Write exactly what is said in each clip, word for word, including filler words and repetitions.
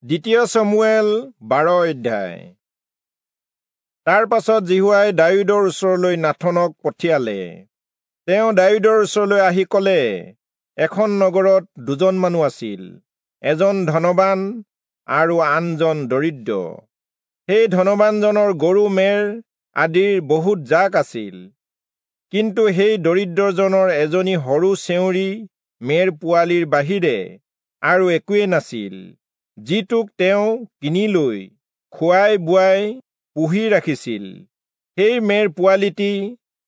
দ্বিতীয় চমূৱেল বাৰ অধ্যায়। তাৰ পাছত যিহোৱাই দায়ূদৰ ওচৰলৈ নাথনক পঠিয়ালে। তেওঁ দায়ূদৰ ওচৰলৈ আহি কলে, এখন নগৰত দুজন মানুহ আছিল, এজন ধনবান আৰু আনজন দৰিদ্ৰ। সেই ধনবানজনৰ গৰু মেৰ আদিৰ বহুত জাক আছিল, কিন্তু সেই দৰিদ্ৰজনৰ এজনী সৰু চেউৰী মেৰ পোৱালিৰ বাহিৰে আৰু একোৱেই নাছিল, যিটোক তেওঁ কিনি লৈ খুৱাই বুৱাই পুহি ৰাখিছিল। সেই মেৰ পোৱালিটি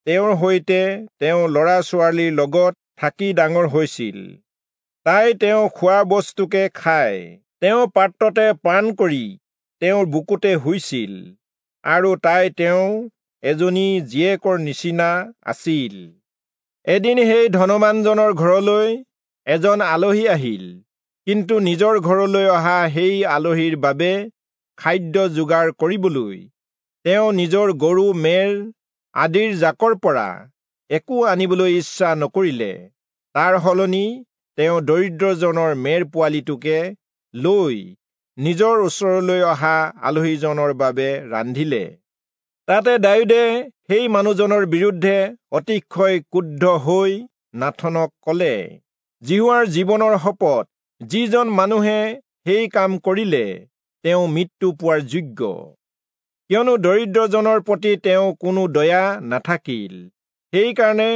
তেওঁৰ সৈতে তেওঁ ল'ৰা ছোৱালীৰ লগত থাকি ডাঙৰ হৈছিল। তাই তেওঁ খোৱা বস্তুকে খাই তেওঁ পাত্ৰতে পান কৰি তেওঁৰ বুকুতে শুইছিল, আৰু তাই তেওঁ এজনী জীয়েকৰ নিচিনা আছিল। এদিন সেই ধনবানজনৰ ঘৰলৈ এজন আলহী আহিল, কিন্তু নিজৰ ঘৰলৈ অহা সেই আলহীৰ বাবে খাদ্য যোগাৰ কৰিবলৈ তেওঁ নিজৰ গৰু মেৰ আদিৰ জাকৰ পৰা একো আনিবলৈ ইচ্ছা নকৰিলে। তাৰ সলনি তেওঁ দৰিদ্ৰজনৰ মেৰ পোৱালিটোকে লৈ নিজৰ ওচৰলৈ অহা আলহীজনৰ বাবে ৰান্ধিলে। তাতে দায়ূদে সেই মানুহজনৰ বিৰুদ্ধে অতিশয় ক্ৰুদ্ধ হৈ নাথনক কলে, যিহোৱাৰ জীৱনৰ শপত, যিজন মানুহে সেই কাম কৰিলে তেওঁ মৃত্যু পোৱাৰ যোগ্য, কিয়নো দৰিদ্ৰজনৰ প্ৰতি তেওঁ কোনো দয়া নাথাকিল। সেইকাৰণে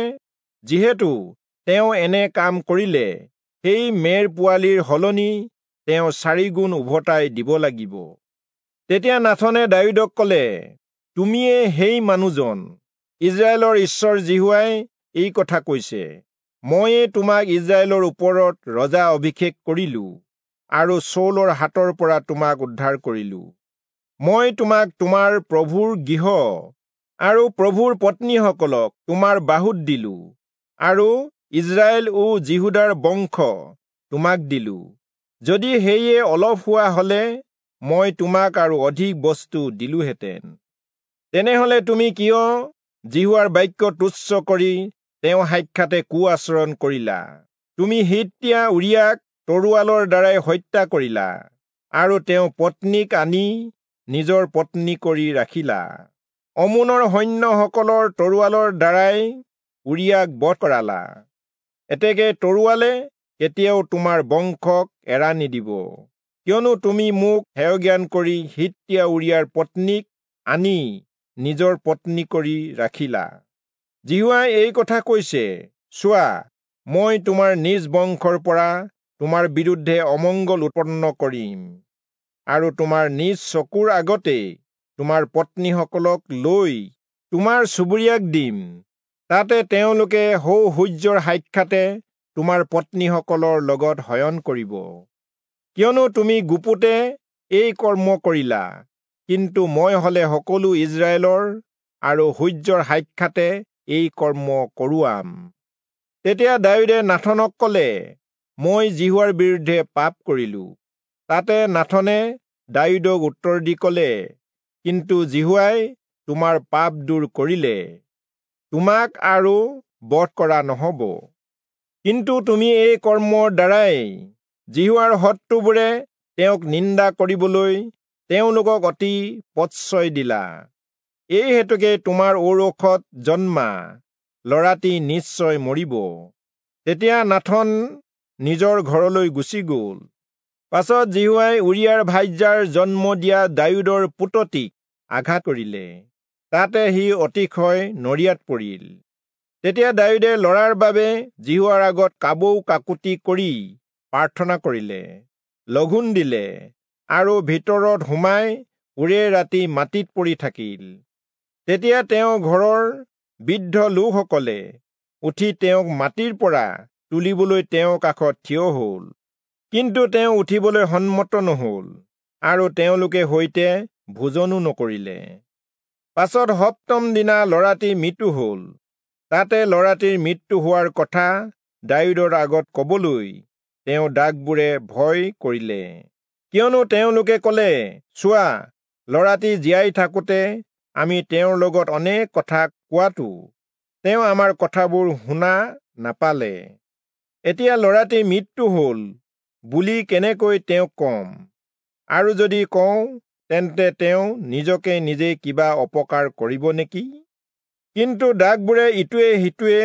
যিহেতু তেওঁ এনে কাম কৰিলে, সেই মেৰ পোৱালিৰ সলনি তেওঁ চাৰিগুণ উভতাই দিব লাগিব। তেতিয়া নাথনে দায়ূদক কলে, তুমিয়ে সেই মানুহজন। ইস্ৰায়েলৰ ঈশ্বৰ যিহোৱাই এই কথা কৈছে, ময়ে তোমাক ইস্ৰায়েলৰ ওপৰত ৰজা অভিষেক কৰিলো আৰু চৌলৰ হাতৰ পৰা তোমাক উদ্ধাৰ কৰিলো। মই তোমাক তোমাৰ প্ৰভুৰ গৃহ আৰু প্ৰভুৰ পত্নীসকলক তোমাৰ বাহুত দিলো, আৰু ইস্ৰায়েল ও যিহূদাৰ বংশ তোমাক দিলো। যদি সেয়ে অলপ হোৱা হলে মই তোমাক আৰু অধিক বস্তু দিলোহেঁতেন। তেনেহলে তুমি কিয় যিহোৱাৰ বাক্য তুচ্ছ কৰি তেওঁ সাক্ষাতে কু আচৰণ কৰিলা? তুমি হিত্তীয়া উৰিয়াক তৰোৱালৰ দ্বাৰাই হত্যা কৰিলা আৰু তেওঁ পত্নীক আনি নিজৰ পত্নী কৰি ৰাখিলা। অমোনৰ সৈন্যসকলৰ তৰোৱালৰ দ্বাৰাই উৰিয়াক বধ কৰালা। এতেকে তৰোৱালে কেতিয়াও তোমাৰ বংশক এৰা নিদিব, কিয়নো তুমি মোক হেয়জ্ঞান কৰি হিত্তীয়া উৰিয়াৰ পত্নীক আনি নিজৰ পত্নী কৰি ৰাখিলা। যিহোৱাই এই কথা কৈছে, চোৱা, মই তোমাৰ নিজ বংশৰ পৰা তোমাৰ বিৰুদ্ধে অমংগল উৎপন্ন কৰিম, আৰু তোমাৰ নিজ চকুৰ আগতে তোমাৰ পত্নীসকলক লৈ তোমাৰ চুবুৰীয়াক দিম। তাতে তেওঁলোকে সৌ সূৰ্যৰ সাক্ষাতে তোমাৰ পত্নীসকলৰ লগত শয়ন কৰিব। কিয়নো তুমি গুপুতে এই কৰ্ম কৰিলা, কিন্তু মই হলে সকলো ইস্ৰায়েলৰ আৰু সূৰ্যৰ সাক্ষাতে এই কৰ্ম কৰোৱাম। তেতিয়া দায়ূদে নাথনক কলে, মই যিহোৱাৰ বিৰুদ্ধে পাপ কৰিলো। তাতে নাথনে দায়ূদক উত্তৰ দি কলে, কিন্তু যিহোৱাই তোমাৰ পাপ দূৰ কৰিলে, তোমাক আৰু বধ কৰা নহব। কিন্তু তুমি এই কৰ্মৰ দ্বাৰাই যিহোৱাৰ শত্ৰুবোৰে তেওঁক নিন্দা কৰিবলৈ তেওঁলোকক অতি প্ৰশ্ৰয় দিলা। এই হেতুকে তোমাৰ ঔৰসত জন্মা ল'ৰাটি নিশ্চয় মৰিব। তেতিয়া নাথন নিজৰ ঘৰলৈ গুচি গ'ল। পাছত যিহোৱাই উৰিয়াৰ ভাৰ্যাৰ জন্ম দিয়া দায়ূদৰ পুতটিক আঘাত কৰিলে, তাতে সি অতিশয় নৰিয়াত পৰিল। তেতিয়া দায়ূদে ল'ৰাৰ বাবে যিহোৱাৰ আগত কাবৌ কাকুতি কৰি প্ৰাৰ্থনা কৰিলে, লঘোণ দিলে, আৰু ভিতৰত সোমাই ওৰে ৰাতি মাটিত পৰি থাকিল। তেতিয়া তেওঁ ঘৰৰ বৃদ্ধ লোকসকলে উঠি তেওঁক মাটিৰ পৰা তুলিবলৈ তেওঁৰ কাষত থিয় হল, কিন্তু তেওঁ উঠিবলৈ সন্মত নহল, আৰু তেওঁলোকে সৈতে ভোজনো নকৰিলে। পাছত সপ্তম দিনা ল'ৰাটি মৃত্যু হল। তাতে ল'ৰাটিৰ মৃত্যু হোৱাৰ কথা দায়ূদৰ আগত কবলৈ তেওঁ দাসবোৰে ভয় কৰিলে, কিয়নো তেওঁলোকে কলে, চোৱা, ল'ৰাটি জীয়াই থাকোঁতে আমি তেওঁৰ লগত অনেক কথা কোৱাটো তেওঁ আমাৰ কথাবোৰ শুনা নাপালে। এতিয়া ল'ৰাটিৰ মৃত্যু হল বুলি কেনেকৈ তেওঁক কম? আৰু যদি কওঁ, তেন্তে তেওঁ নিজকে নিজে কিবা অপকাৰ কৰিব নেকি? কিন্তু দাসবোৰে ইটোৱে সিটোৱে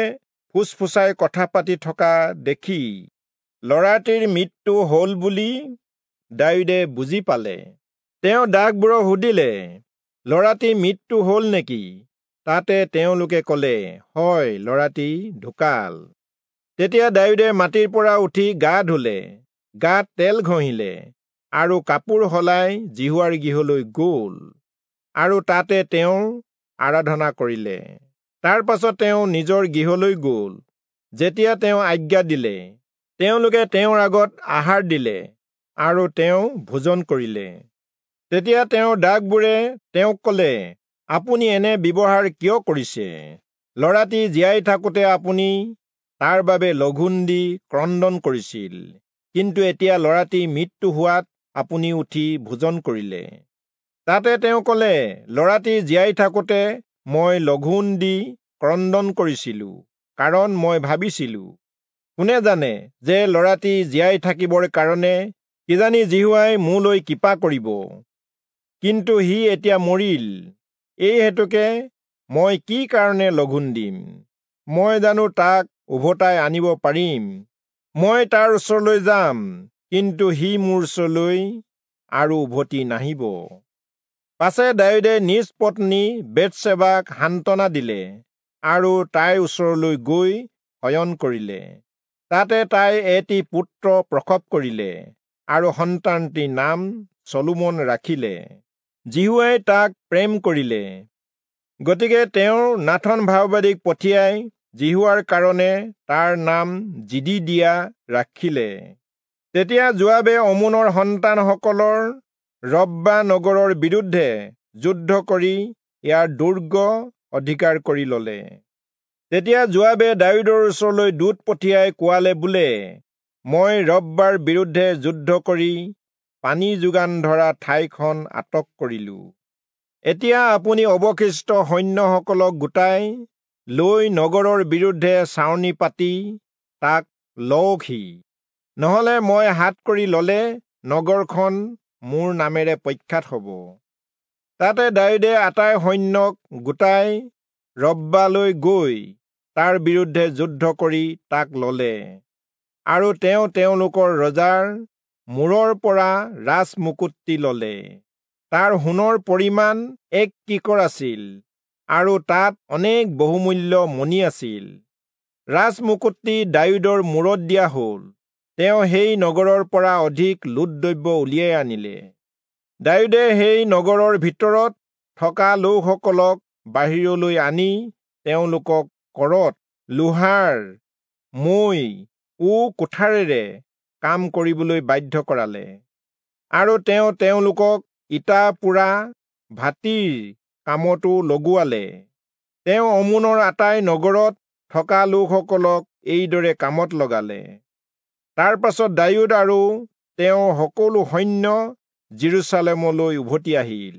ফুচফুচাই কথা পাতি থকা দেখি ল'ৰাটিৰ মৃত্যু হ'ল বুলি দায়ূদে বুজি পালে। তেওঁ দাসবোৰক সুধিলে, ল'ৰাটি মৃত্যু হ'ল নেকি? তাতে তেওঁলোকে ক'লে, হয়, ল'ৰাটি ঢুকাল। তেতিয়া দায়ূদে মাটিৰ পৰা উঠি গা ধুলে, গাত তেল ঘঁহিলে আৰু কাপোৰ সলাই যিহোৱাৰ গৃহলৈ গ'ল আৰু তাতে তেওঁৰ আৰাধনা কৰিলে। তাৰ পাছত তেওঁ নিজৰ গৃহলৈ গ'ল। যেতিয়া তেওঁ আজ্ঞা দিলে, তেওঁলোকে তেওঁৰ আগত আহাৰ দিলে আৰু তেওঁ ভোজন কৰিলে। তেতিয়া তেওঁৰ দাসবোৰে তেওঁক ক'লে, আপুনি এনে ব্যৱহাৰ কিয় কৰিছে? ল'ৰাটি জীয়াই থাকোঁতে আপুনি তাৰ বাবে লঘোণ দি ক্ৰন্দন কৰিছিল, কিন্তু এতিয়া ল'ৰাটি মৃত্যু হোৱাত আপুনি উঠি ভোজন কৰিলে। তাতে তেওঁ ক'লে, ল'ৰাটি জীয়াই থাকোঁতে মই লঘোণ দি ক্ৰন্দন কৰিছিলো, কাৰণ মই ভাবিছিলো, কোনে জানে যে ল'ৰাটি জীয়াই থাকিবৰ কাৰণে কিজানি যিহোৱাই মোলৈ কৃপা কৰিব। কিন্তু সি এতিয়া মৰিল, এই হেতুকে মই কি কাৰণে লঘোণ দিম? মই জানো তাক উভতাই আনিব পাৰিম? মই তাৰ ওচৰলৈ যাম, কিন্তু সি মোৰ ওচৰলৈ আৰু উভতি নাহিব। পাছে দায়ূদে নিজ পত্নী বেৎসেবাক সান্তনা দিলে আৰু তাইৰ ওচৰলৈ গৈ শয়ন কৰিলে। তাতে তাই এটি পুত্ৰ প্ৰসৱ কৰিলে আৰু সন্তানটিৰ নাম চলোমন ৰাখিলে। যিহোৱাই তাক প্ৰেম কৰিলে, গতিকে তেওঁ নাথন ভাববাদীক পঠিয়াই যিহোৱাৰ কাৰণে তাৰ নাম যিদিদিয়া ৰাখিলে। তেতিয়া যোৱাবে অমোনৰ সন্তানসকলৰ ৰব্বা নগৰৰ বিৰুদ্ধে যুদ্ধ কৰি ইয়াৰ দুৰ্গ অধিকাৰ কৰি ললে। তেতিয়া যোৱাবে দায়ূদৰ ওচৰলৈ দূত পঠিয়াই কোৱালে বোলে, মই ৰব্বাৰ বিৰুদ্ধে যুদ্ধ কৰি পানী যোগান ধৰা ঠাইখন আটক কৰিলো। এতিয়া আপুনি অৱশিষ্ট সৈন্যসকলক গোটাই লৈ নগৰৰ বিৰুদ্ধে ছাউনি পাতি তাক লওকহি, নহলে মই হাত কৰি ললে নগৰখন মোৰ নামেৰে প্ৰখ্যাত হ'ব। তাতে দায়ূদে আটাই সৈন্যক গোটাই ৰব্বালৈ গৈ তাৰ বিৰুদ্ধে যুদ্ধ কৰি তাক ললে, আৰু তেওঁ তেওঁলোকৰ ৰজাৰ মূৰৰ পৰা ৰাজমুকুটটি ললে। তাৰ সোণৰ পৰিমাণ এক কিকৰ আছিল আৰু তাত অনেক বহুমূল্য মণি আছিল। ৰাজমুকুটটি দায়ূদৰ মূৰত দিয়া হ'ল। তেওঁ সেই নগৰৰ পৰা অধিক লুটদ্ৰব্য উলিয়াই আনিলে। দায়ূদে সেই নগৰৰ ভিতৰত থকা লোকসকলক বাহিৰলৈ আনি তেওঁলোকক কৰত, লোহাৰ মৈ ও কুঠাৰেৰে কাম কৰিবলৈ বাধ্য কৰালে, আৰু তেওঁ তেওঁলোকক ইটা পোৰা ভাতীৰ কামতো লগোৱালে। তেওঁ অমোনৰ আটাই নগৰত থকা লোকসকলক এইদৰে কামত লগালে। তাৰ পাছত দায়ূদ আৰু তেওঁৰ সকলো সৈন্য যিৰূচালেমলৈ উভতি আহিল।